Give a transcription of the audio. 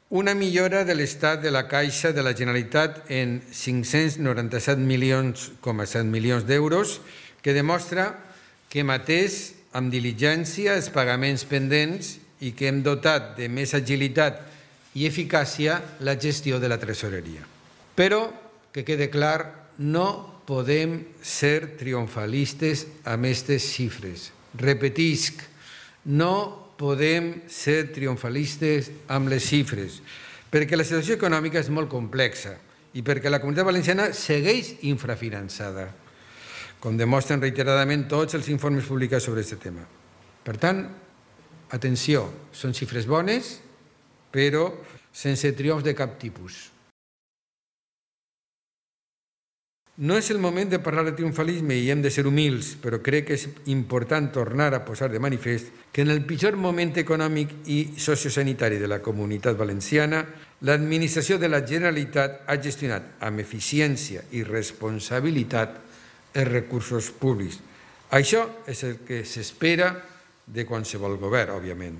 Una millora de l'estat de la Caixa de la Generalitat en 597,7 milions d'euros, que demostra que hem atès amb diligència els pagaments pendents i que hem dotat de més agilitat i eficàcia la gestió de la tresoreria. Però, que quede clar, no podem ser triomfalistes amb aquestes xifres. Repetisc, no podem ser triomfalistes amb les xifres, perquè la situació econòmica és molt complexa i perquè la Comunitat Valenciana segueix infrafinançada, com demostren reiteradament tots els informes publicats sobre aquest tema. Per tant, atenció, són xifres bones, però sense triomfs de cap tipus. No és el moment de parlar de triomfalisme i hem de ser humils, però crec que és important tornar a posar de manifest que en el pitjor moment econòmic i sociosanitari de la Comunitat Valenciana, l'administració de la Generalitat ha gestionat amb eficiència i responsabilitat els recursos públics. Això és el que s'espera de qualsevol govern, òbviament.